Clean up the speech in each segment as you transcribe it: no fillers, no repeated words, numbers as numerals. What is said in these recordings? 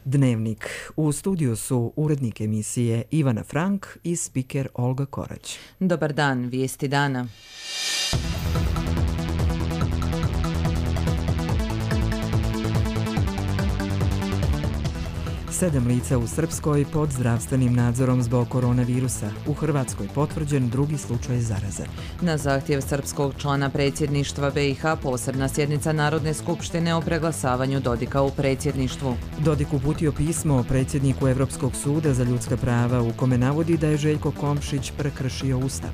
Dnevnik. U studiju su urednik emisije Ivana Frank i spiker Olga Korać. Dobar dan, vijesti dana. Sedam lica u Srpskoj pod zdravstvenim nadzorom zbog koronavirusa. U Hrvatskoj potvrđen drugi slučaj zaraze. Na zahtjev srpskog člana predsjedništva BiH posebna sjednica Narodne skupštine o preglasavanju Dodika u predsjedništvu. Dodik uputio pismo predsjedniku Europskog suda za ljudska prava u kome navodi da je Željko Komšić prekršio Ustav.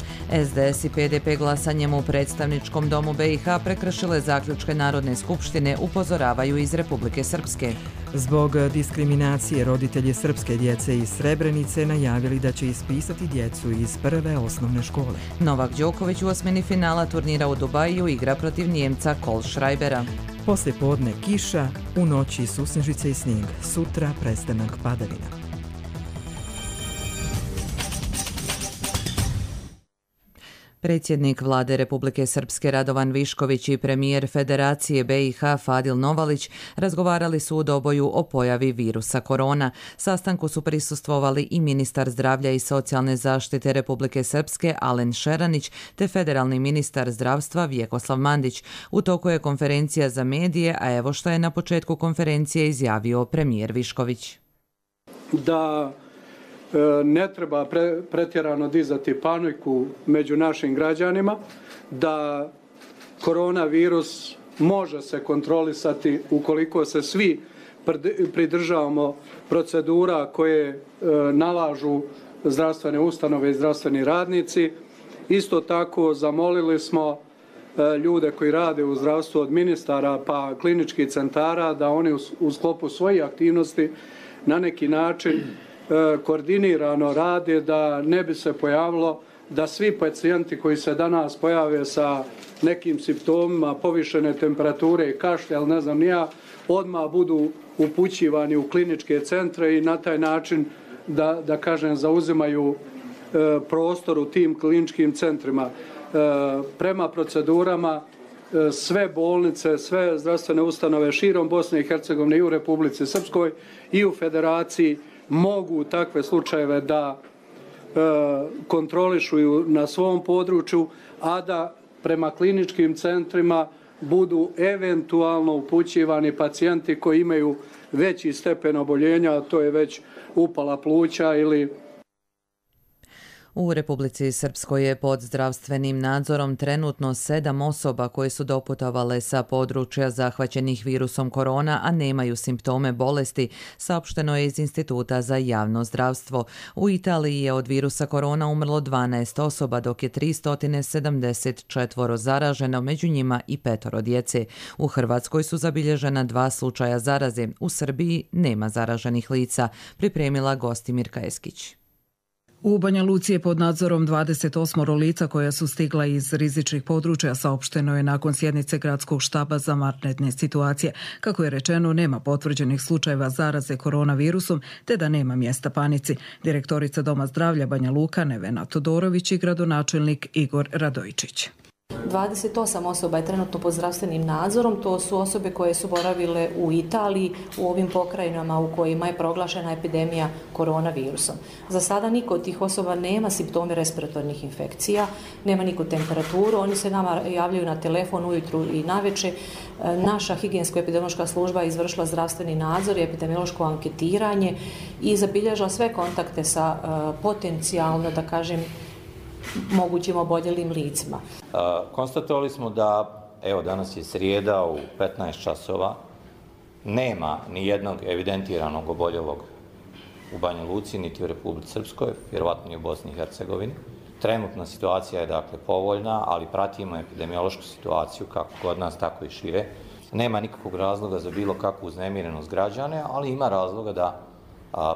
SDS i PDP glasanjem u predstavničkom domu BiH prekršile zaključke Narodne skupštine, upozoravaju iz Republike Srpske. Zbog diskriminacije roditelji srpske djece iz Srebrenice najavili da će ispisati djecu iz prve osnovne škole. Novak Đoković u osmini finala turnira u Dubaju igra protiv Njemca Kohlschreibera. Poslije podne kiša, u noći susnežice i snijeg, sutra prestanak padavina. Predsjednik Vlade Republike Srpske Radovan Višković i premijer Federacije BiH Fadil Novalić razgovarali su u Doboju o pojavi virusa korona. Sastanku su prisustvovali i ministar zdravlja i socijalne zaštite Republike Srpske Alen Šeranić te federalni ministar zdravstva Vjekoslav Mandić. U toku je konferencija za medije, a evo što je na početku konferencije izjavio premijer Višković. Da ne treba pretjerano dizati paniku među našim građanima, da koronavirus može se kontrolisati ukoliko se svi pridržavamo procedura koje nalažu zdravstvene ustanove i zdravstveni radnici. Isto tako zamolili smo ljude koji rade u zdravstvu od ministara pa kliničkih centara da oni u sklopu svojih aktivnosti na neki način koordinirano rade, da ne bi se pojavilo da svi pacijenti koji se danas pojave sa nekim simptomima povišene temperature i kašlja, ali ne znam ni ja, odmah budu upućivani u kliničke centre i na taj način da kažem zauzimaju prostor u tim kliničkim centrima. Prema procedurama sve bolnice, sve zdravstvene ustanove širom Bosne i Hercegovine i u Republici Srpskoj i u Federaciji mogu takve slučajeve da kontrolišu na svom području, a da prema kliničkim centrima budu eventualno upućivani pacijenti koji imaju veći stepen oboljenja, a to je već upala pluća ili... U Republici Srpskoj je pod zdravstvenim nadzorom trenutno 7 osoba koje su doputovale sa područja zahvaćenih virusom korona, a nemaju simptome bolesti, saopšteno je iz Instituta za javno zdravstvo. U Italiji je od virusa korona umrlo 12 osoba, dok je 374 zaraženo, među njima i 5 djece. U Hrvatskoj su zabilježena 2 slučaja zaraze. U Srbiji nema zaraženih lica, pripremila Gostimirka Eskić. U Banja Luci je pod nadzorom 28 lica koja su stigla iz rizičnih područja, saopšteno je nakon sjednice gradskog štaba za vanredne situacije. Kako je rečeno, nema potvrđenih slučajeva zaraze koronavirusom, te da nema mjesta panici. Direktorica Doma zdravlja Banja Luka Nevena Todorović i gradonačelnik Igor Radojičić. 28 osoba je trenutno pod zdravstvenim nadzorom, to su osobe koje su boravile u Italiji, u ovim pokrajinama u kojima je proglašena epidemija koronavirusom. Za sada niko od tih osoba nema simptome respiratornih infekcija, nema niko temperaturu, oni se nama javljaju na telefon ujutru i navečer. Naša higijensko-epidemiološka služba je izvršila zdravstveni nadzor i epidemiološko anketiranje i zabilježila sve kontakte sa potencijalno, da kažem, mogućim oboljelim licima. Konstatovali smo da, evo danas je srijeda u 15 časova, nema ni jednog evidentiranog oboljelog u Banja Luci, niti u Republici Srpskoj, vjerovatno i u Bosni i Hercegovini. Trenutna situacija je dakle povoljna, ali pratimo epidemiološku situaciju kako kod nas, tako i šire. Nema nikakvog razloga za bilo kakvu uznemirenost građane, ali ima razloga da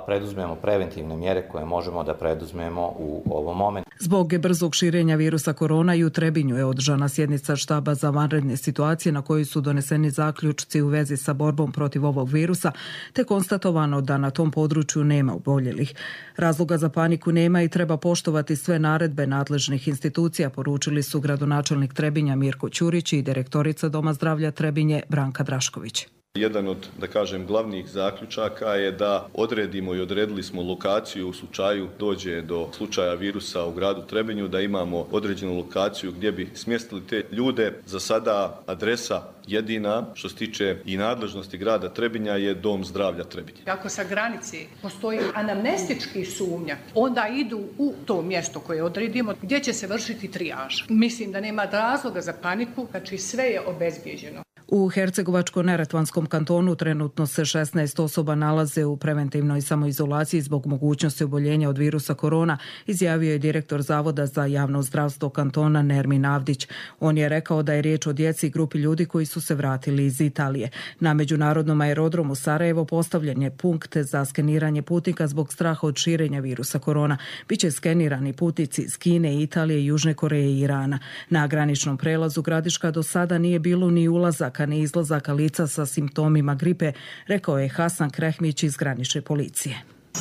preduzmemo preventivne mjere koje možemo da preduzmemo u ovom momentu. Zbog brzog širenja virusa korona i u Trebinju je održana sjednica štaba za vanredne situacije na kojoj su doneseni zaključci u vezi sa borbom protiv ovog virusa, te konstatovano da na tom području nema oboljelih. Razloga za paniku nema i treba poštovati sve naredbe nadležnih institucija, poručili su gradonačelnik Trebinja Mirko Ćurić i direktorica Doma zdravlja Trebinje Branka Drašković. Jedan od, da kažem, glavnih zaključaka je da odredimo i odredili smo lokaciju u slučaju dođe do slučaja virusa u gradu Trebinju, da imamo određenu lokaciju gdje bi smjestili te ljude. Za sada adresa jedina što se tiče i nadležnosti grada Trebinja je Dom zdravlja Trebinje. Ako sa granice postoji anamnestički sumnja, onda idu u to mjesto koje odredimo gdje će se vršiti trijaža. Mislim da nema razloga za paniku, znači sve je obezbijeđeno. U Hercegovačko-neretvanskom kantonu trenutno se 16 osoba nalaze u preventivnoj samoizolaciji zbog mogućnosti oboljenja od virusa korona, izjavio je direktor Zavoda za javno zdravstvo kantona Nermin Avdić. On je rekao da je riječ o djeci i grupi ljudi koji su se vratili iz Italije. Na međunarodnom aerodromu Sarajevo postavljen je punkt za skeniranje putnika zbog straha od širenja virusa korona. Biće skenirani putnici iz Kine, Italije, Južne Koreje i Irana. Na graničnom prelazu Gradiška do sada nije bilo ni ulazaka ni izlazaka lica sa simptomima gripe, rekao je Hasan Krehmić iz granične policije.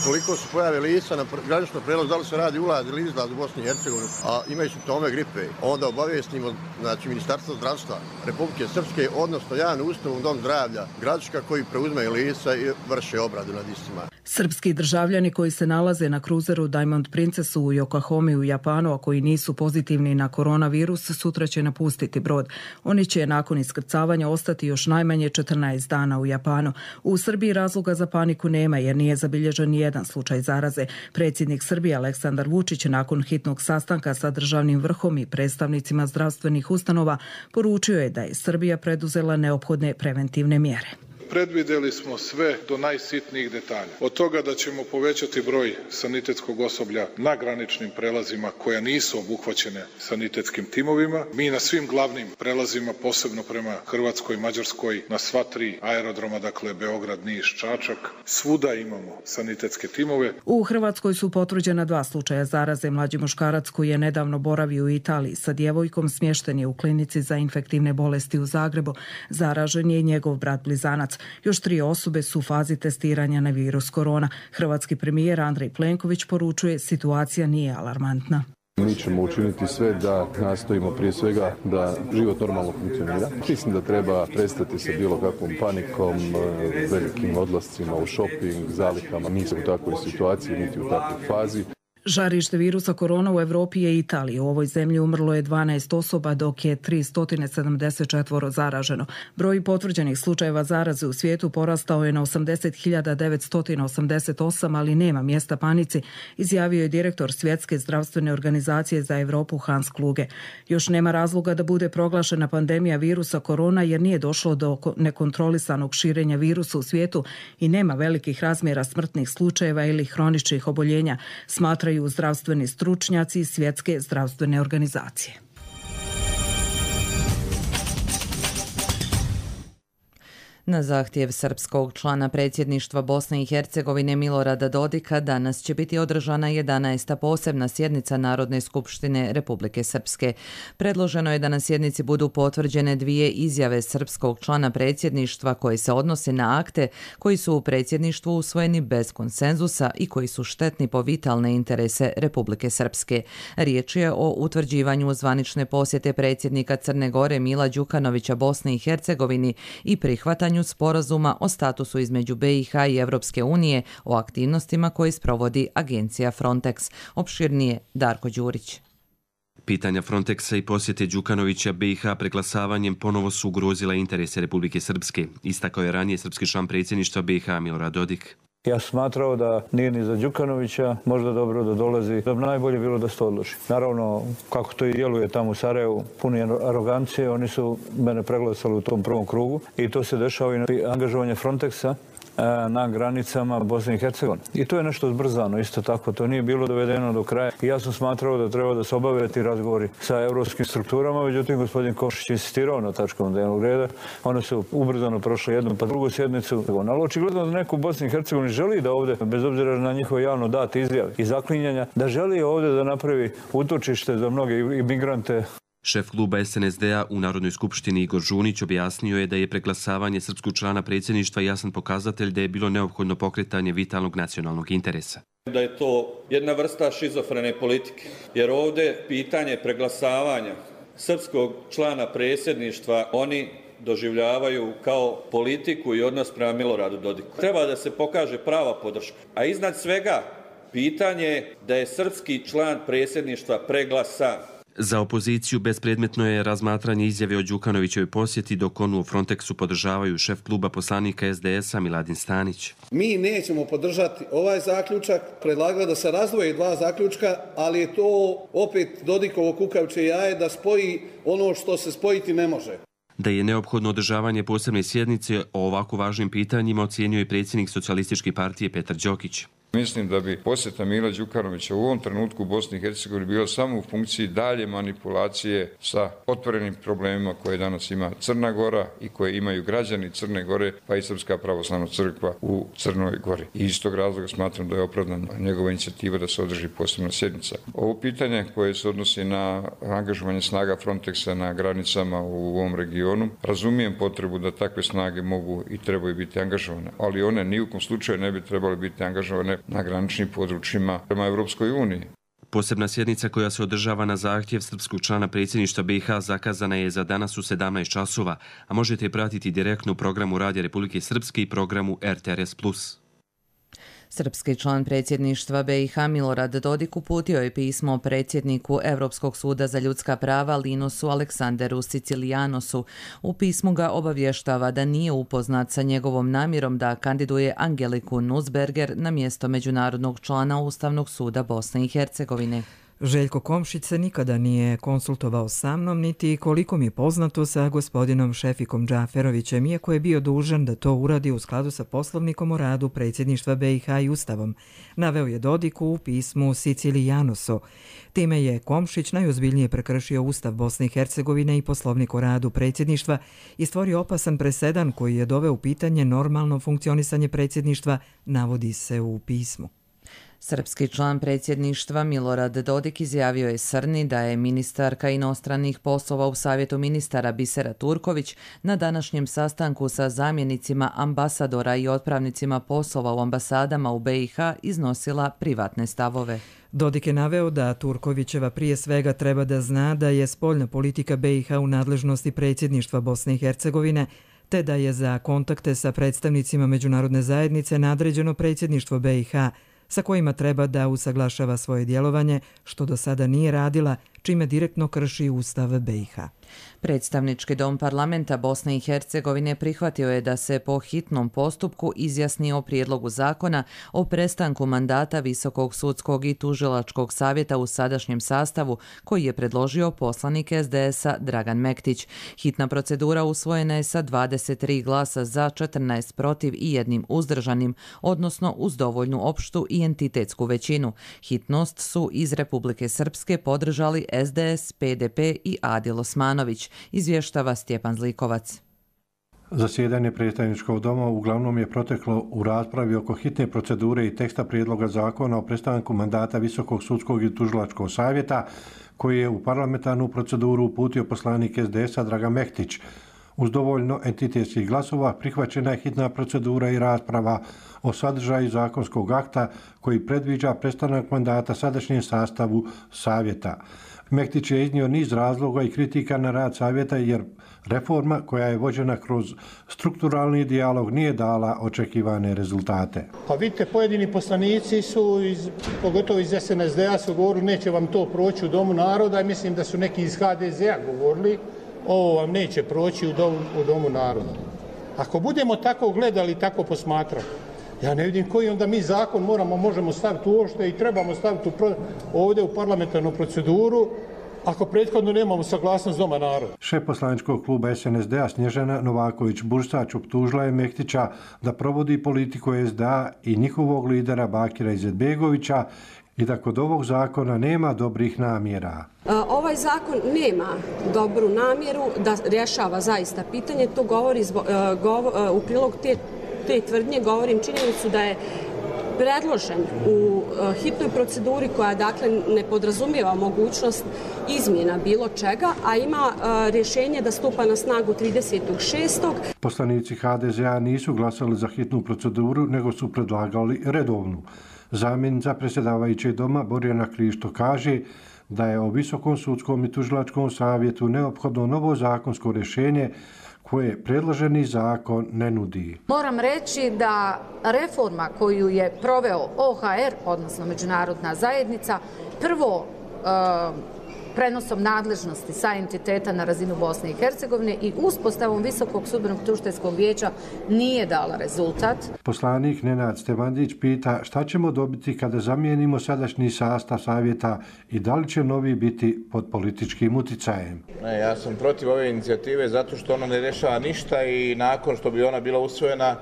Koliko se pojave lica na graničnom prelazu, da li se radi ulaz ili izlaz u Bosni i Hercegovini, a imaju simptome gripe, onda obavijestimo Ministarstvo zdravstva Republike Srpske, odnosno javnu ustanovu Dom zdravlja Gradiška koji preuzmeju lica i vrše obradu nad istima. Srpski državljani koji se nalaze na kruzeru Diamond Princess u Yokohami u Japanu, a koji nisu pozitivni na koronavirus, sutra će napustiti brod. Oni će nakon iskrcavanja ostati još najmanje 14 dana u Japanu. U Srbiji razloga za paniku nema jer nije zabilježen jedan slučaj zaraze. Predsjednik Srbije Aleksandar Vučić nakon hitnog sastanka sa državnim vrhom i predstavnicima zdravstvenih ustanova poručio je da je Srbija preduzela neophodne preventivne mjere. Predvidjeli smo sve do najsitnijih detalja. Od toga da ćemo povećati broj sanitetskog osoblja na graničnim prelazima koja nisu obuhvaćene sanitetskim timovima. Mi na svim glavnim prelazima, posebno prema Hrvatskoj, Mađarskoj, na sva 3 aerodroma, dakle Beograd, Niš, Čačak, svuda imamo sanitetske timove. U Hrvatskoj su potvrđena 2 slučaja zaraze. Mlađi muškarac koji je nedavno boravio u Italiji sa djevojkom smješten je u klinici za infektivne bolesti u Zagrebu. Zaražen je i njegov brat blizanac. Još 3 osobe su u fazi testiranja na virus korona. Hrvatski premijer Andrej Plenković poručuje situacija nije alarmantna. Mi ćemo učiniti sve da nastojimo prije svega da život normalno funkcionira. Mislim da treba prestati sa bilo kakvom panikom, velikim odlascima u shopping, zalihama. Nismo u takvoj situaciji, niti u takvoj fazi. Žarište virusa korona u Europi je Italija. U ovoj zemlji umrlo je 12 osoba, dok je 374 zaraženo. Broj potvrđenih slučajeva zaraze u svijetu porastao je na 80.988, ali nema mjesta panici, izjavio je direktor Svjetske zdravstvene organizacije za Europu Hans Kluge. Još nema razloga da bude proglašena pandemija virusa korona jer nije došlo do nekontrolisanog širenja virusa u svijetu i nema velikih razmjera smrtnih slučajeva ili hroničnih oboljenja, smatraju zdravstveni stručnjaci Svjetske zdravstvene organizacije. Na zahtjev srpskog člana predsjedništva Bosne i Hercegovine Milorada Dodika danas će biti održana 11. posebna sjednica Narodne skupštine Republike Srpske. Predloženo je da na sjednici budu potvrđene 2 izjave srpskog člana predsjedništva koje se odnose na akte koji su u predsjedništvu usvojeni bez konsenzusa i koji su štetni po vitalne interese Republike Srpske. Riječ je o utvrđivanju zvanične posjete predsjednika Crne Gore Mila Đukanovića Bosne i Hercegovini i prihvatanju sporazuma o statusu između BiH i Evropske unije o aktivnostima koje sprovodi agencija Frontex. Opširnije Darko Đurić. Pitanja Frontexa i posjete Đukanovića BiH preglasavanjem ponovo su ugrozila interese Republike Srpske, istakao je ranije srpski član predsjedništva BiH Milorad Dodik. Ja sam smatrao da nije ni za Đukanovića možda dobro da dolazi, da bi najbolje bilo da se to odloži. Naravno, kako to i djeluje tamo u Sarajevu, puni arogancije, oni su mene preglasali u tom prvom krugu i to se dešava i na angažovanje Frontexa na granicama Bosne i Hercegovine. I to je nešto zbrzano, isto tako, to nije bilo dovedeno do kraja. I ja sam smatrao da treba da se obave ti razgovori sa evropskim strukturama, međutim gospodin Košić insistirao na tačkom dnevnog reda. One su ubrzano prošle jednu pa drugu sjednicu. Ali očigledno da neko u Bosni i Hercegovini želi da ovdje, bez obzira na njihove javno date izjave i zaklinjanja, da želi ovdje da napravi utočište za mnoge imigrante. Šef kluba SNSD-a u Narodnoj skupštini Igor Žunić objasnio je da je preglasavanje srpskog člana predsjedništva jasan pokazatelj da je bilo neophodno pokretanje vitalnog nacionalnog interesa. Da je to jedna vrsta šizofrene politike, jer ovdje pitanje preglasavanja srpskog člana predsjedništva oni doživljavaju kao politiku i odnos prema Miloradu Dodiku. Treba da se pokaže prava podrška. A iznad svega, pitanje je da je srpski član predsjedništva preglasan. Za opoziciju bespredmetno je razmatranje izjave o Đukanovićevoj posjeti, dok onu u Frontexu podržavaju šef kluba poslanika SDS-a Miladin Stanić. Mi nećemo podržati ovaj zaključak, predlagala da se razdvoje dva zaključka, ali je to opet Dodikovo kukavičje jaje da spoji ono što se spojiti ne može. Da je neophodno održavanje posebne sjednice o ovako važnim pitanjima ocijenio i predsjednik Socijalističke partije Petar Đokić. Mislim da bi posjeta Mila Đukanovića u ovom trenutku u Bosni i Hercegovini bila samo u funkciji dalje manipulacije sa otvorenim problemima koje danas ima Crna Gora i koje imaju građani Crne Gore, pa i Srpska pravoslavna crkva u Crnoj Gori. I iz tog razloga smatram da je opravdana njegova inicijativa da se održi posebna sjednica. Ovo pitanje koje se odnosi na angažovanje snaga Frontexa na granicama u ovom regionu, razumijem potrebu da takve snage mogu i trebaju biti angažovane, ali one ni u kom slučaju ne bi trebale biti angažovane na graničnim područjima prema Evropskoj uniji. Posebna sjednica koja se održava na zahtjev srpskog člana predsjedništva BiH zakazana je za danas u 17 časova, a možete je pratiti direktno u programu Radija Republike Srpske i programu RTRS+. Srpski član predsjedništva BiH Milorad Dodik uputio je pismo predsjedniku Europskog suda za ljudska prava Linosu Aleksanderu Sicilijanosu. U pismu ga obavještava da nije upoznat sa njegovom namjerom da kandiduje Angeliku Nussberger na mjesto međunarodnog člana Ustavnog suda Bosne i Hercegovine. Željko Komšić se nikada nije konsultovao sa mnom, niti koliko mi je poznato sa gospodinom Šefikom Džaferovićem, iako je bio dužan da to uradi u skladu sa poslovnikom o radu predsjedništva BiH i Ustavom, naveo je Dodik u pismu Sicilijanosu. Time je Komšić najozbiljnije prekršio Ustav Bosne i Hercegovine i poslovnik o radu predsjedništva i stvorio opasan presedan koji je doveo u pitanje normalno funkcionisanje predsjedništva, navodi se u pismu. Srpski član predsjedništva Milorad Dodik izjavio je Srni da je ministarka inostranih poslova u Savjetu ministara Bisera Turković na današnjem sastanku sa zamjenicima ambasadora i otpravnicima poslova u ambasadama u BiH iznosila privatne stavove. Dodik je naveo da Turkovićeva prije svega treba da zna da je spoljna politika BiH u nadležnosti predsjedništva Bosne i Hercegovine, te da je za kontakte sa predstavnicima međunarodne zajednice nadređeno predsjedništvo BiH, sa kojima treba da usaglašava svoje djelovanje, što do sada nije radila, čime direktno krši Ustav BiH. Predstavnički dom parlamenta Bosne i Hercegovine prihvatio je da se po hitnom postupku izjasni o prijedlogu zakona o prestanku mandata Visokog sudskog i tužilačkog savjeta u sadašnjem sastavu koji je predložio poslanik SDS-a Dragan Mektić. Hitna procedura usvojena je sa 23 glasa za, 14 protiv i 1 uzdržanim, odnosno uz dovoljnu opštu i entitetsku većinu. Hitnost su iz Republike Srpske podržali SDS, PDP i Adil Osmanović, izvještava Stjepan Zlikovac. Zasjedanje predstavničkog doma uglavnom je proteklo u raspravi oko hitne procedure i teksta prijedloga zakona o prestanku mandata Visokog sudskog i tužilačkog savjeta, koji je u parlamentarnu proceduru uputio poslanik SDS-a Dragan Mektić. Uz dovoljno entitetskih glasova prihvaćena je hitna procedura i rasprava o sadržaju zakonskog akta koji predviđa prestanak mandata sadašnjem sastavu savjeta. Mektić je iznio niz razloga i kritika na rad savjeta jer reforma koja je vođena kroz strukturalni dijalog nije dala očekivane rezultate. Pa vidite, pojedini poslanici su, pogotovo iz SNSD-a, su govorili neće vam to proći u Domu naroda i mislim da su neki iz HDZ-a govorili ovo vam neće proći u Domu naroda. Ako budemo tako gledali, tako posmatrali, ja ne vidim koji onda mi zakon možemo staviti uopšte i trebamo staviti ovdje u parlamentarnu proceduru ako prethodno nemamo saglasnost Doma naroda. Šef poslaničkog kluba SNSD-a Snježana Novaković-Bursač optužila je Mektića da provodi politiku SDA i njihovog lidera Bakira Izetbegovića i da kod ovog zakona nema dobrih namjera. Ovaj zakon nema dobru namjeru da rješava zaista pitanje. To govori u prilog te tvrdnje, govorim činjenicu da je predložen u hitnoj proceduri koja dakle ne podrazumijeva mogućnost izmjena bilo čega, a ima rješenje da stupa na snagu 30.6. Poslanici HDZ-a nisu glasali za hitnu proceduru, nego su predlagali redovnu. Zamjenica predsjedavajućeg doma Borjana Krišto kaže da je o Visokom sudskom i tužilačkom savjetu neophodno novo zakonsko rješenje koje predloženi zakon ne nudi. Moram reći da reforma koju je proveo OHR, odnosno međunarodna zajednica, prvo prenosom nadležnosti sa entiteta na razinu Bosne i Hercegovine i uspostavom Visokog sudbenog tužiteljskog vijeća nije dala rezultat. Poslanik Nenad Stevandić pita šta ćemo dobiti kada zamijenimo sadašnji sastav savjeta i da li će novi biti pod političkim uticajem. Ja sam protiv ove inicijative zato što ona ne rješava ništa i nakon što bi ona bila usvojena,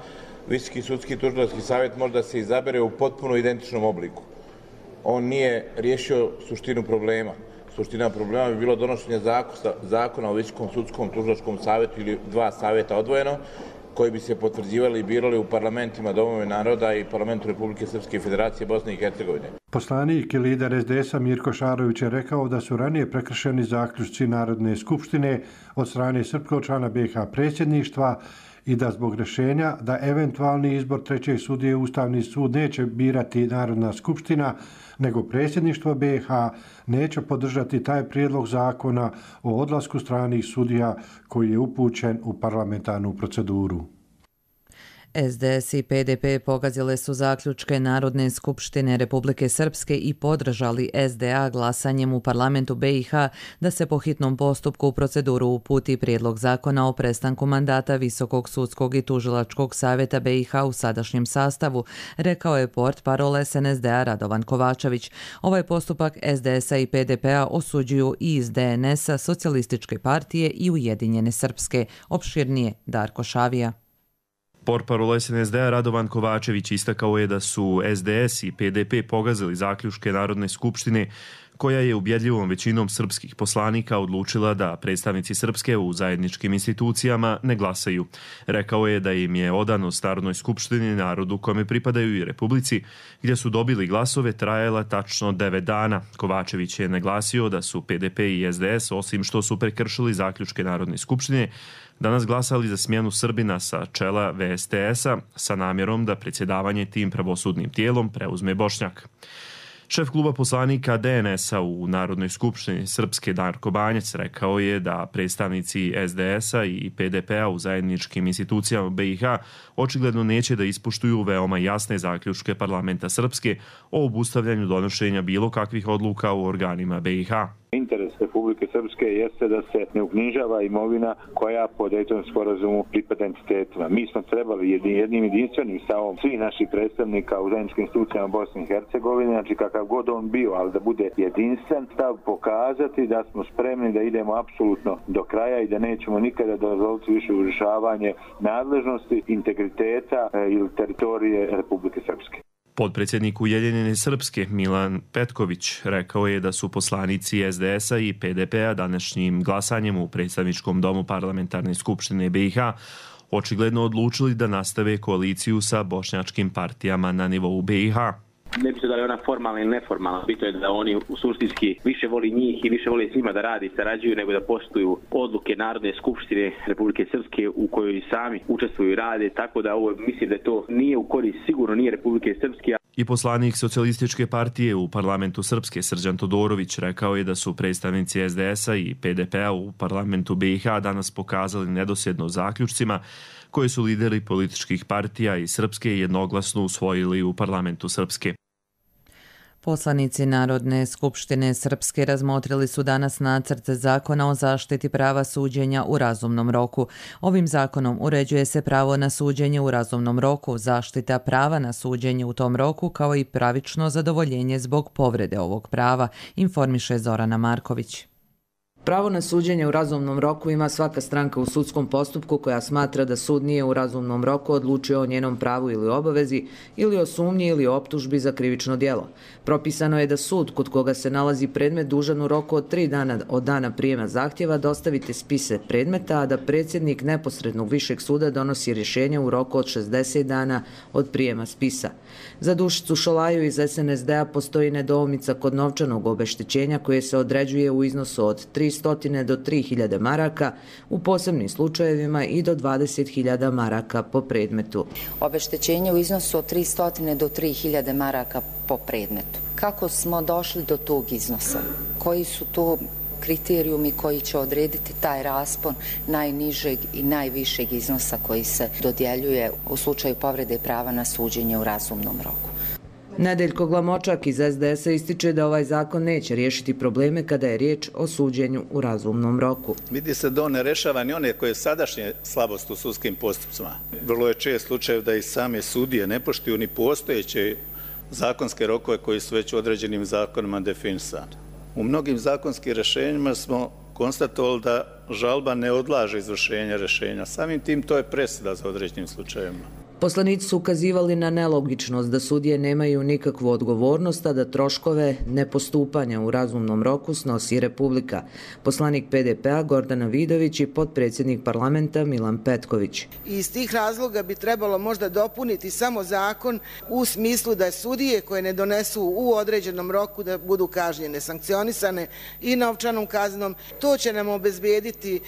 Visoki sudski tužilački savjet može da se izabere u potpuno identičnom obliku. On nije riješio suštinu problema. Suština problema bi bilo donošenje zakona o Visokom sudskom tužilačkom savjetu ili dva savjeta odvojeno, koji bi se potvrđivali i birali u parlamentima Domove naroda i parlamentu Republike Srpske i Federacije Bosne i Hercegovine. Poslanik i lider SDS-a Mirko Šarović je rekao da su ranije prekršeni zaključci Narodne skupštine od strane srpskog člana BiH predsjedništva i da zbog rješenja da eventualni izbor trećeg sudije Ustavni sud neće birati Narodna skupština, nego predsjedništvo BiH neće podržati taj prijedlog zakona o odlasku stranih sudija koji je upućen u parlamentarnu proceduru. SDS i PDP pogazile su zaključke Narodne skupštine Republike Srpske i podržali SDA glasanjem u parlamentu BiH da se po hitnom postupku u proceduru uputi prijedlog zakona o prestanku mandata Visokog sudskog i tužilačkog savjeta BiH u sadašnjem sastavu, rekao je portparol SNSD-a Radovan Kovačević. Ovaj postupak SDS-a i PDP-a osuđuju i iz DNS-a, Socijalističke partije i Ujedinjene Srpske. Opširnije Darko Šavija. Portparol SNSD-a Radovan Kovačević istakao je da su SDS i PDP pogazili zaključke Narodne skupštine koja je ubjedljivom većinom srpskih poslanika odlučila da predstavnici Srpske u zajedničkim institucijama ne glasaju. Rekao je da im je odanost Narodnoj skupštini, narodu kome pripadaju i Republici, gdje su dobili glasove, trajala tačno 9 dana. Kovačević je naglasio da su PDP i SDS, osim što su prekršili zaključke Narodne skupštine, danas glasali za smjenu Srbina sa čela VSTS-a sa namjerom da predsjedavanje tim pravosudnim tijelom preuzme Bošnjak. Šef kluba poslanika DNS-a u Narodnoj skupštini Srpske Darko Banjac rekao je da predstavnici SDS-a i PDP-a u zajedničkim institucijama BiH očigledno neće da ispuštuju veoma jasne zaključke parlamenta Srpske o obustavljanju donošenja bilo kakvih odluka u organima BiH. Interes Republike Srpske jeste da se ne uknjižava imovina koja po Dejtonskom sporazumu pripada entitetima. Mi smo trebali jednim jedinstvenim stavom svih naših predstavnika u zajedničkim institucijama Bosne i Hercegovine, znači kakav god on bio, ali da bude jedinstven stav, pokazati da smo spremni da idemo apsolutno do kraja i da nećemo nikada dozvoliti više urušavanje nadležnosti, integriteta ili teritorije Republike Srpske. Potpredsjednik Ujedinjene Srpske Milan Petković rekao je da su poslanici SDS-a i PDP-a današnjim glasanjem u predstavničkom domu parlamentarne skupštine BiH očigledno odlučili da nastave koaliciju sa bošnjačkim partijama na nivou BiH. Ne bi se da li ona formalna ili neformalna, bitno je da oni u suštinski više voli njih i više voli s njima da radi i sarađuju nego da poštuju odluke Narodne skupštine Republike Srpske u kojoj sami učestvuju i rade, tako da ovo mislim da to nije u korist, sigurno nije Republike Srpske. I poslanik Socijalističke partije u parlamentu Srpske Srđan Todorović rekao je da su predstavnici SDS-a i PDP-a u parlamentu BiH danas pokazali nedosljednost zaključcima koje su lideri političkih partija i Srpske jednoglasno usvojili u parlamentu Srpske. Poslanici Narodne skupštine Srpske razmotrili su danas nacrt zakona o zaštiti prava suđenja u razumnom roku. Ovim zakonom uređuje se pravo na suđenje u razumnom roku, zaštita prava na suđenje u tom roku kao i pravično zadovoljenje zbog povrede ovog prava, informiše Zorana Marković. Pravo na suđenje u razumnom roku ima svaka stranka u sudskom postupku koja smatra da sud nije u razumnom roku odlučio o njenom pravu ili obavezi ili o sumnji ili optužbi za krivično djelo. Propisano je da sud kod koga se nalazi predmet dužan u roku od 3 dana od dana prijema zahtjeva dostaviti spise predmeta, a da predsjednik neposrednog višeg suda donosi rješenje u roku od 60 dana od prijema spisa. Za Dušicu Šolaju iz SNSD-a postoji nedoumica kod novčanog obeštećenja koje se određuje u iznosu od 300 300 do 3000 maraka, u posebnim slučajevima i do 20.000 maraka po predmetu. Obeštećenje u iznosu od 300 do 3000 maraka po predmetu. Kako smo došli do tog iznosa? Koji su to kriterijumi koji će odrediti taj raspon najnižeg i najvišeg iznosa koji se dodjeljuje u slučaju povrede prava na suđenje u razumnom roku? Nedeljko Glamočak iz SDS-a ističe da ovaj zakon neće riješiti probleme kada je riječ o suđenju u razumnom roku. Vidi se da on ne rešava ni one koje sadašnje slabost u sudskim postupcima. Vrlo je čest slučaj da i same sudije ne poštuju ni postojeće zakonske rokove koji su već određenim zakonima definisani. U mnogim zakonskim rješenjima smo konstatovali da žalba ne odlaže izvršenje rješenja. Samim tim to je presuda za određenim slučajevima. Poslanici su ukazivali na nelogičnost da sudije nemaju nikakvu odgovornost, a da troškove nepostupanja u razumnom roku snosi Republika. Poslanik PDP-a Gordana Vidović i potpredsjednik parlamenta Milan Petković. Iz tih razloga bi trebalo možda dopuniti samo zakon u smislu da sudije koje ne donesu u određenom roku da budu kažnjene, sankcionisane i novčanom kaznom. To će nam obezbijediti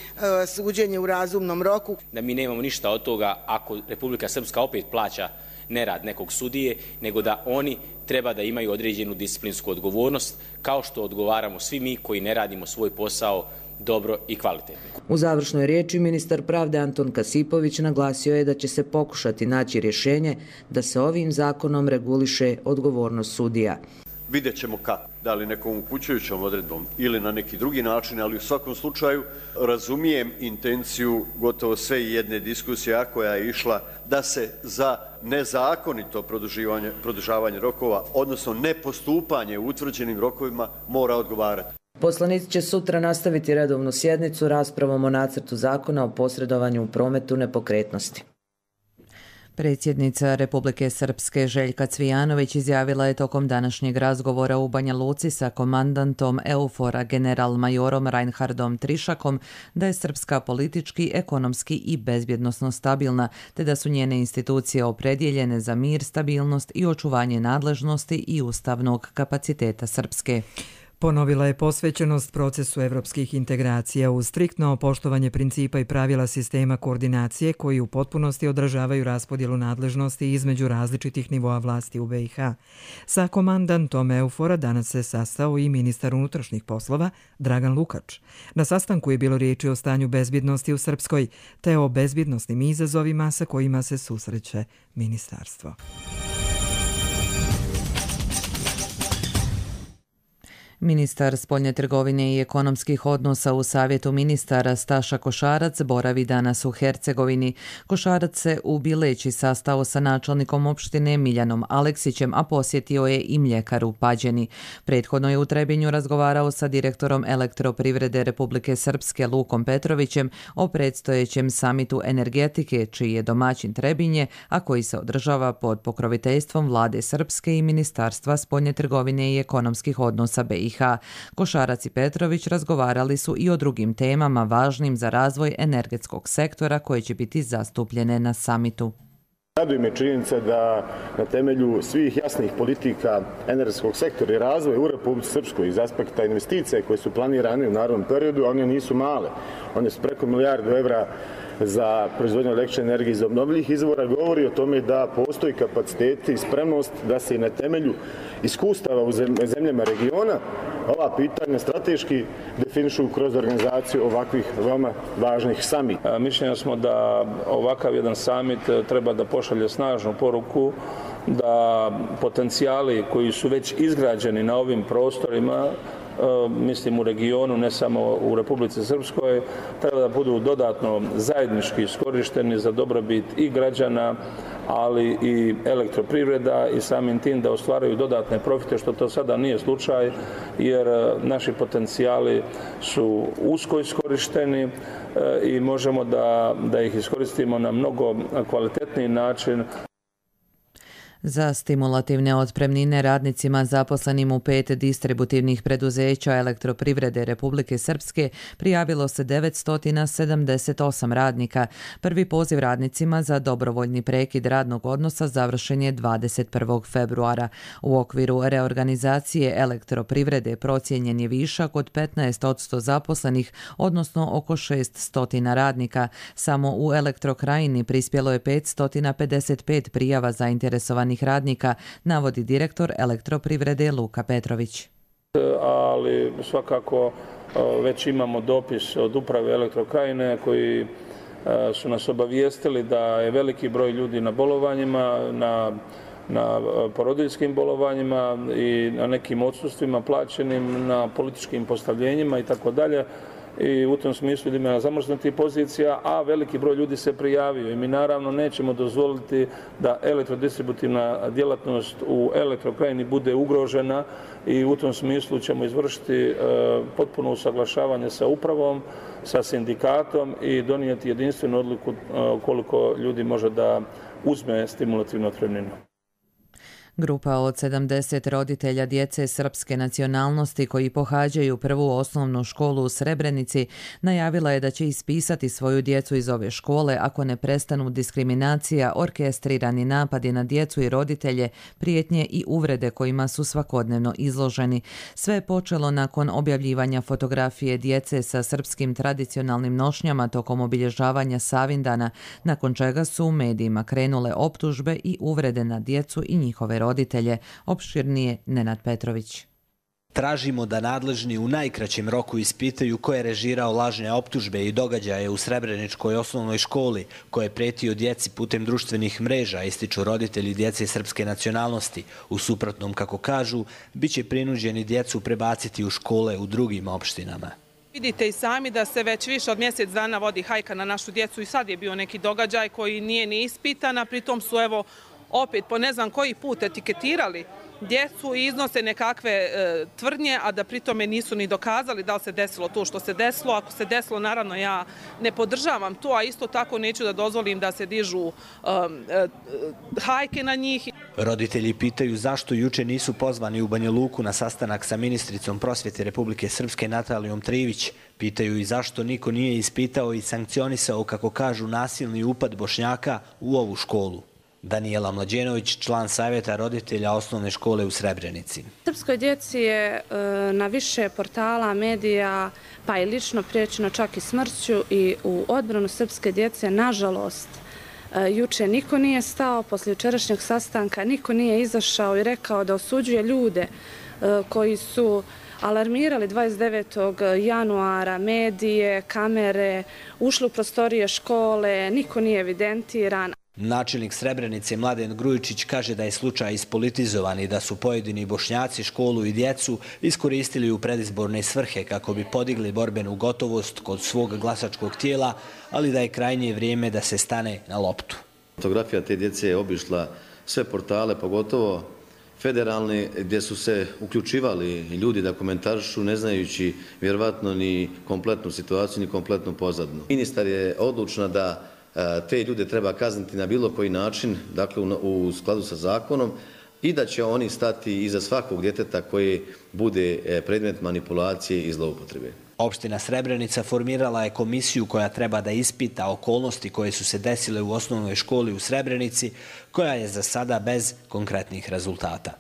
suđenje u razumnom roku. Da mi nemamo ništa od toga ako Republika Srpska opet plaća nerad nekog sudije, nego da oni treba da imaju određenu disciplinsku odgovornost, kao što odgovaramo svi mi koji ne radimo svoj posao dobro i kvalitetno. U završnoj riječi ministar pravde Anton Kasipović naglasio je da će se pokušati naći rješenje da se ovim zakonom reguliše odgovornost sudija. Vidjet ćemo kako, da li nekom upućujućom odredbom ili na neki drugi način, ali u svakom slučaju razumijem intenciju gotovo sve jedne diskusije koja je išla da se za nezakonito produžavanje rokova, odnosno nepostupanje u utvrđenim rokovima mora odgovarati. Poslanici će sutra nastaviti redovnu sjednicu raspravom o nacrtu zakona o posredovanju u prometu nepokretnosti. Predsjednica Republike Srpske Željka Cvijanović izjavila je tokom današnjeg razgovora u Banja Luci sa komandantom EUFOR-a general-majorom Reinhardom Trišakom da je Srpska politički, ekonomski i bezbjednosno stabilna, te da su njene institucije opredjeljene za mir, stabilnost i očuvanje nadležnosti i ustavnog kapaciteta Srpske. Ponovila je posvećenost procesu evropskih integracija uz striktno poštovanje principa i pravila sistema koordinacije koji u potpunosti odražavaju raspodjelu nadležnosti između različitih nivoa vlasti u BiH. Sa komandantom EUFOR-a danas se sastao i ministar unutrašnjih poslova Dragan Lukač. Na sastanku je bilo riječi o stanju bezbjednosti u Srpskoj te o bezbjednosnim izazovima sa kojima se susreće ministarstvo. Ministar spoljne trgovine i ekonomskih odnosa u Savjetu ministara Staša Košarac boravi danas u Hercegovini. Košarac se u Bileći sastao sa načelnikom opštine Miljanom Aleksićem, a posjetio je i mljekaru Pađeni. Prethodno je u Trebinju razgovarao sa direktorom Elektroprivrede Republike Srpske Lukom Petrovićem o predstojećem samitu energetike, čiji je domaćin Trebinje, a koji se održava pod pokroviteljstvom vlade Srpske i Ministarstva spoljne trgovine i ekonomskih odnosa BiH. Košarac i Petrović razgovarali su i o drugim temama važnim za razvoj energetskog sektora koje će biti zastupljene na samitu. Raduje me činjenica da na temelju svih jasnih politika energetskog sektora i razvoja u Republici Srpskoj iz aspekta investicija koje su planirane u narednom periodu, one nisu male. One su preko milijardu evra za proizvodnju električne energije iz obnovljivih izvora, govori o tome da postoji kapaciteti i spremnost da se i na temelju iskustava u zemljama regiona ova pitanja strateški definišu kroz organizaciju ovakvih veoma važnih samita. Mišljenja smo da ovakav jedan samit treba da pošalje snažnu poruku da potencijali koji su već izgrađeni na ovim prostorima, mislim u regionu, ne samo u Republici Srpskoj, treba da budu dodatno zajednički iskorišteni za dobrobit i građana, ali i elektroprivreda i samim tim da ostvaraju dodatne profite, što to sada nije slučaj, jer naši potencijali su usko iskorišteni i možemo da ih iskoristimo na mnogo kvalitetniji način. Za stimulativne otpremnine radnicima zaposlenim u 5 distributivnih preduzeća Elektroprivrede Republike Srpske prijavilo se 978 radnika. Prvi poziv radnicima za dobrovoljni prekid radnog odnosa završen je 21. februara. U okviru reorganizacije Elektroprivrede procijenjen je višak od 15% zaposlenih, odnosno oko 600 radnika. Samo u Elektrokrajini prispjelo je 555 prijava zainteresovanih radnika, navodi direktor Elektroprivrede Luka Petrović. Ali svakako već imamo dopis od uprave Elektrokrajine koji su nas obavijestili da je veliki broj ljudi na bolovanjima, na porodiljskim bolovanjima i na nekim odsustvima plaćenim, na političkim postavljenjima i tako dalje. I u tom smislu ima zamrznutih pozicija, a veliki broj ljudi se prijavio i mi naravno nećemo dozvoliti da elektrodistributivna djelatnost u Elektrokrajini bude ugrožena i u tom smislu ćemo izvršiti potpuno usaglašavanje sa upravom, sa sindikatom i donijeti jedinstvenu odluku koliko ljudi može da uzme stimulativnu otpremninu. Grupa od 70 roditelja djece srpske nacionalnosti koji pohađaju prvu osnovnu školu u Srebrenici najavila je da će ispisati svoju djecu iz ove škole ako ne prestanu diskriminacija, orkestrirani napadi na djecu i roditelje, prijetnje i uvrede kojima su svakodnevno izloženi. Sve je počelo nakon objavljivanja fotografije djece sa srpskim tradicionalnim nošnjama tokom obilježavanja Savindana, nakon čega su u medijima krenule optužbe i uvrede na djecu i njihove roditelje. Opširnije Nenad Petrović. Tražimo da nadležni u najkraćem roku ispitaju ko je režirao lažne optužbe i događaje u Srebreničkoj osnovnoj školi, ko je pretio djeci putem društvenih mreža, ističu roditelji djece srpske nacionalnosti. U suprotnom, kako kažu, bit će prinuđeni djecu prebaciti u škole u drugim opštinama. Vidite i sami da se već više od mjesec dana vodi hajka na našu djecu i sad je bio neki događaj koji nije ni ispitan, a pritom su opet po ne znam koji put etiketirali djecu i iznose nekakve tvrdnje, a da pritome nisu ni dokazali da li se desilo to što se desilo. Ako se desilo, naravno ja ne podržavam to, a isto tako neću da dozvolim da se dižu hajke na njih. Roditelji pitaju zašto juče nisu pozvani u Banja Luku na sastanak sa ministricom prosvjete Republike Srpske Natalijom Trivić. Pitaju i zašto niko nije ispitao i sankcionisao, kako kažu, nasilni upad Bošnjaka u ovu školu. Danijela Mlađenović, član savjeta roditelja osnovne škole u Srebrenici. Srpskoj djeci je na više portala, medija, pa i lično priječeno čak i smrću i u odbranu srpske djece, nažalost, juče niko nije stao, poslije jučerašnjeg sastanka niko nije izašao i rekao da osuđuje ljude koji su alarmirali 29. januara medije, kamere, ušli u prostorije škole, niko nije evidentiran. Načelnik Srebrenice Mladen Grujičić kaže da je slučaj ispolitizovan i da su pojedini Bošnjaci školu i djecu iskoristili u predizborne svrhe kako bi podigli borbenu gotovost kod svog glasačkog tijela, ali da je krajnje vrijeme da se stane na loptu. Fotografija te djece je obišla sve portale, pogotovo federalne, gdje su se uključivali ljudi da komentarišu, ne znajući vjerovatno ni kompletnu situaciju, ni kompletnu pozadnu. Ministar je odlučna da te ljude treba kazniti na bilo koji način, dakle u skladu sa zakonom, i da će oni stati iza svakog djeteta koji bude predmet manipulacije i zloupotrebe. Opština Srebrenica formirala je komisiju koja treba da ispita okolnosti koje su se desile u osnovnoj školi u Srebrenici, koja je za sada bez konkretnih rezultata.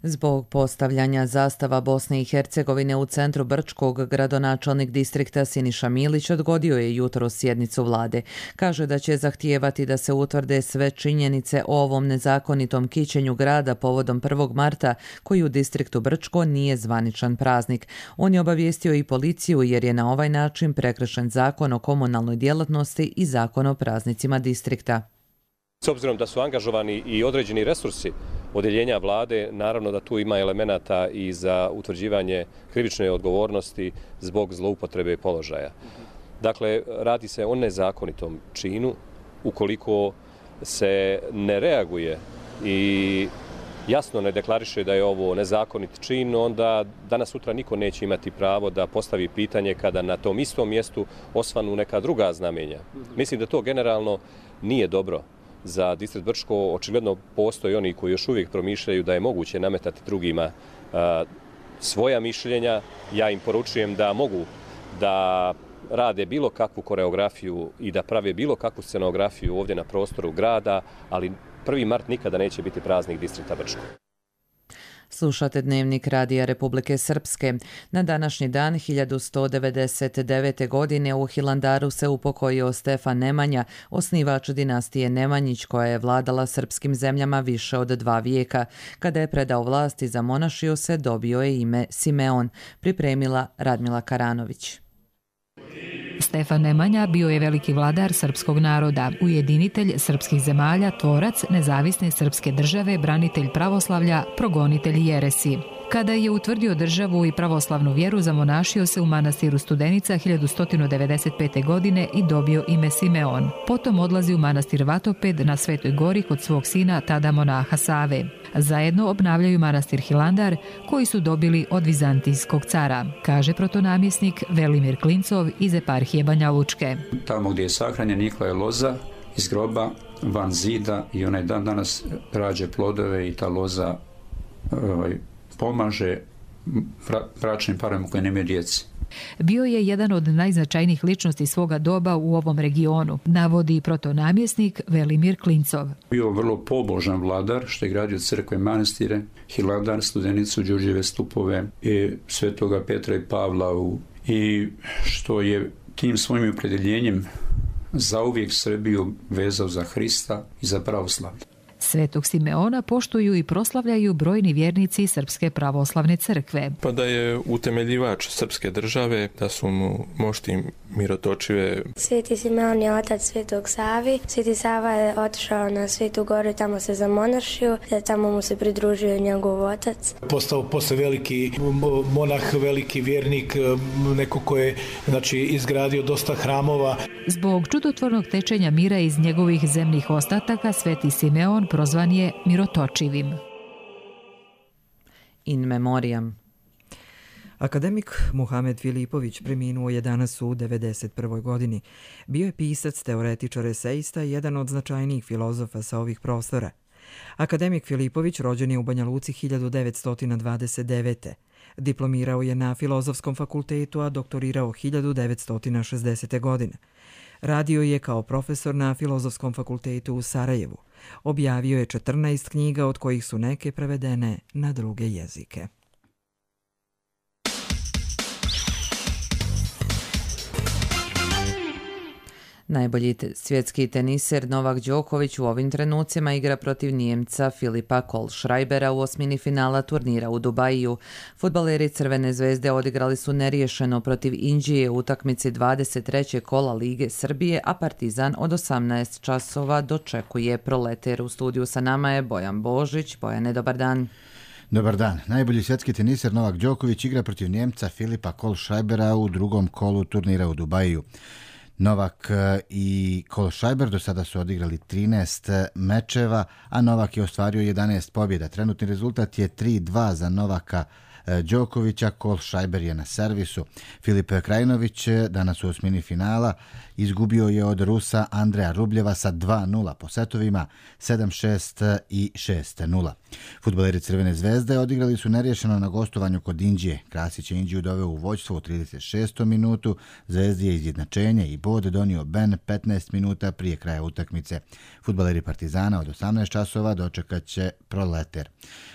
Zbog postavljanja zastava Bosne i Hercegovine u centru Brčkog, gradonačelnik distrikta Siniša Milić odgodio je jutros sjednicu vlade. Kaže da će zahtijevati da se utvrde sve činjenice o ovom nezakonitom kićenju grada povodom 1. marta, koji u distriktu Brčko nije zvaničan praznik. On je obavijestio i policiju jer je na ovaj način prekršen zakon o komunalnoj djelatnosti i zakon o praznicima distrikta. S obzirom da su angažovani i određeni resursi odjeljenja vlade, naravno da tu ima elemenata i za utvrđivanje krivične odgovornosti zbog zloupotrebe položaja. Dakle, radi se o nezakonitom činu. Ukoliko se ne reaguje i jasno ne deklariše da je ovo nezakonit čin, onda danas sutra niko neće imati pravo da postavi pitanje kada na tom istom mjestu osvanu neka druga znamenja. Mislim da to generalno nije dobro. za distrikt Brčko. Očigledno postoje oni koji još uvijek promišljaju da je moguće nametati drugima svoja mišljenja. Ja im poručujem da mogu da rade bilo kakvu koreografiju i da prave bilo kakvu scenografiju ovdje na prostoru grada, ali 1. mart nikada neće biti praznik distrikta Brčko. Slušate Dnevnik Radija Republike Srpske. Na današnji dan 1199. godine u Hilandaru se upokojio Stefan Nemanja, osnivač dinastije Nemanjić koja je vladala srpskim zemljama više od 2 vijeka. Kada je predao vlast i zamonašio se, dobio je ime Simeon, pripremila Radmila Karanović. Stefan Nemanja bio je veliki vladar srpskog naroda, ujedinitelj srpskih zemalja, tvorac nezavisne srpske države, branitelj pravoslavlja, progonitelj jeresi. Kada je utvrdio državu i pravoslavnu vjeru, zamonašio se u manastiru Studenica 1195. godine i dobio ime Simeon. Potom odlazi u manastir Vatoped na Svetoj gori kod svog sina, tada monaha Save. Zajedno obnavljaju manastir Hilandar, koji su dobili od vizantijskog cara, kaže protonamjesnik Velimir Klincov iz eparhije Banja Lučke. Tamo gdje je sahranjen Nikolaj Loza iz groba van zida i onaj dan danas rađe plodove i ta loza pomaže bračnim parovima koji nemaju djeci. Bio je jedan od najznačajnijih ličnosti svoga doba u ovom regionu, navodi protonamjesnik Velimir Klincov. Bio vrlo pobožan vladar, što je gradio crkve, manastire, Hilandar, Studenicu, Đurđeve stupove i Svetoga Petra i Pavla i što je tim svojim opredjeljenjem zauvijek Srbiju vezao za Hrista i za pravoslavlje. Svetog Simeona poštuju i proslavljaju brojni vjernici Srpske pravoslavne crkve. Pa da je utemeljivač srpske države, da su mu mošti mirotočive. Sveti Simeon je otac Svetog Savi. Sveti Sava je otišao na Svetu goru i tamo se zamonašio, tamo mu se pridružio njegov otac. Postao posle veliki monah, veliki vjernik, neko ko je izgradio dosta hramova. Zbog čudotvornog tečenja mira iz njegovih zemnih ostataka, Sveti Simeon prozvan je mirotočivim. In memoriam. Akademik Muhamed Filipović preminuo je danas u 91. godini. Bio je pisac, teoretičar, eseista i jedan od značajnijih filozofa sa ovih prostora. Akademik Filipović rođen je u Banja Luci 1929. Diplomirao je na Filozofskom fakultetu, a doktorirao 1960. godine. Radio je kao profesor na Filozofskom fakultetu u Sarajevu. Objavio je 14 knjiga, od kojih su neke prevedene na druge jezike. Najbolji svjetski teniser Novak Đoković u ovim trenucima igra protiv Nijemca Filipa Kohlschreibera u osmini finala turnira u Dubaju. Fudbaleri Crvene zvezde odigrali su neriješeno protiv Indije u utakmici 23. kola Lige Srbije, a Partizan od 18 časova dočekuje Proleter. U studiju sa nama je Bojan Božić. Bojane, dobar dan. Dobar dan. Najbolji svjetski teniser Novak Đoković igra protiv Njemca Filipa Kohlschreibera u drugom kolu turnira u Dubaju. Novak i Kohlschreiber do sada su odigrali 13 mečeva, a Novak je ostvario 11 pobjeda. Trenutni rezultat je 3-2 za Novaka Đokovića, Kohlschreiber je na servisu. Filip Krajinović danas u osmini finala izgubio je od Rusa Andreja Rubljeva sa 2-0 po setovima 7-6 i 6-0. Fudbaleri Crvene zvezde odigrali su neriješeno na gostovanju kod Indije. Krasić je Indiju doveo u vođstvo u 36. minutu, Zvezdi je izjednačenje i bod donio Ben 15 minuta prije kraja utakmice. Fudbaleri Partizana od 18 časova dočekat će Proleter.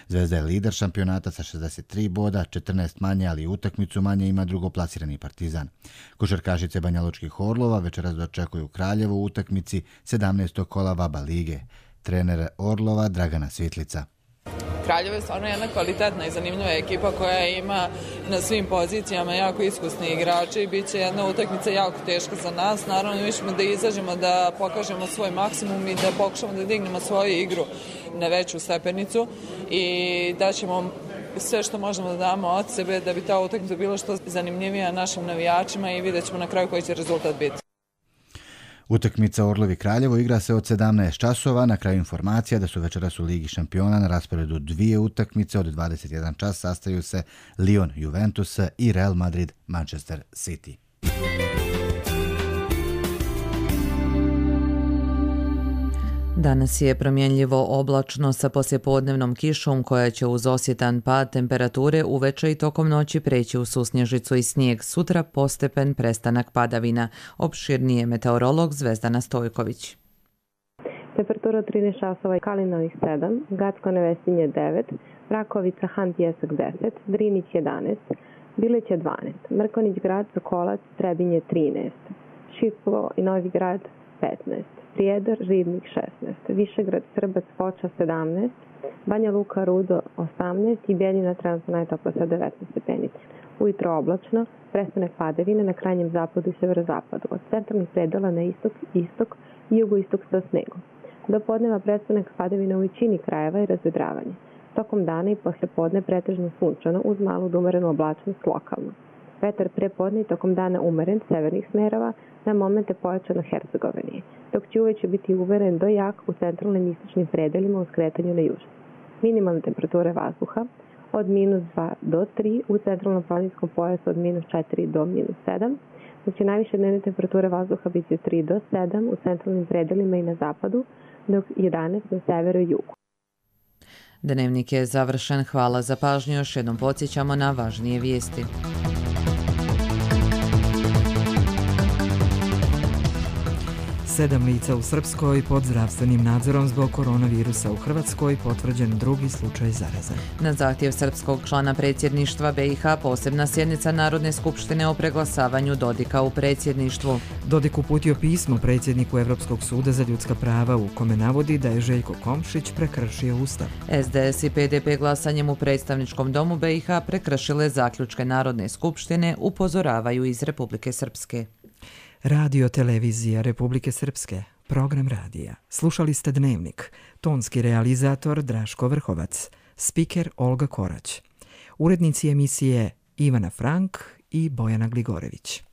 Zvezda je lider šampionata sa 63 boda, 14 manje, ali utakmicu manje ima drugoplasirani Partizan. Košarkašice Banjalučkih Orlova večeras dočekuju Kraljevo u utakmici 17. kola VABA lige. Trener Orlova Dragana Svitlica. Kraljevo je stvarno jedna kvalitetna i zanimljiva ekipa koja ima na svim pozicijama jako iskusni igrači i bit će jedna utakmica jako teška za nas. Naravno, mi ćemo da izađemo, da pokažemo svoj maksimum i da pokušamo da dignemo svoju igru na veću stepenicu i da ćemo sve što možemo da damo od sebe da bi ta utakmica bila što zanimljivija našim navijačima i vidjet ćemo na kraju koji će rezultat biti. Utakmica Orlovi Kraljevo igra se od 17 časova. Na kraju informacija da su večeras u Ligi šampiona na rasporedu dvije utakmice. Od 21 čas sastaju se Lyon Juventus i Real Madrid Manchester City. Danas je promjenljivo oblačno sa poslijepodnevnom kišom koja će uz osjetan pad temperature uveče i tokom noći preći u susnježicu i snijeg. Sutra postepen prestanak padavina. Opširnije meteorolog Zvezdana Stojković. Temperatura 13 časova, Kalinovih 7, Gacko Nevesinje 9, Rakovica, Han Pjesak 10, Drinić 11, Bileć 12, Mrkonić grad, Sokolac, Trebinje 13, Šiplo i Novi grad 15, Prijedor, Ribnik 16, Višegrad, Srbac, Foča 17, Banja Luka, Rudo 18 i Bjeljina trenutno najtopla sa 19 stepenica. Ujutro oblačno, prestanak padavine na krajnjem zapadu i severozapadu, od centralnih predela na istok i jugoistok sa snegom. Do podneva prestanak padavina u većini krajeva i razvedravanje. Tokom dana i poslijepodne pretežno sunčano uz malu umerenu oblačnost lokalno. Vetar prepodne i tokom dana umeren severnih smerova, na momente pojačano Hercegovini, dok će uveče biti umeren do jak u centralnim i istočnim predelima u skretanju na južno. Minimalne temperature vazduha od -2 do 3, u centralnom planinskom pojasu od -4 do -7, dok će najviše dnevne temperature vazduha biti od 3 do 7 u centralnim predelima i na zapadu, dok 11 na severu i jugu. Dnevnik je završen. Hvala za pažnju. Još jednom podsjećamo na važnije vijesti. Sedam lica u Srpskoj pod zdravstvenim nadzorom zbog koronavirusa u Hrvatskoj, potvrđen drugi slučaj zaraze. Na zahtjev srpskog člana predsjedništva BiH posebna sjednica Narodne skupštine o preglasavanju Dodika u predsjedništvu. Dodik uputio pismo predsjedniku Evropskog suda za ljudska prava u kome navodi da je Željko Komšić prekršio Ustav. SDS i PDP glasanjem u predstavničkom domu BiH prekršile zaključke Narodne skupštine, upozoravaju iz Republike Srpske. Radio televizija Republike Srpske, program radija. Slušali ste Dnevnik, tonski realizator Draško Vrhovac, spiker Olga Korać, urednici emisije Ivana Frank i Bojana Gligorević.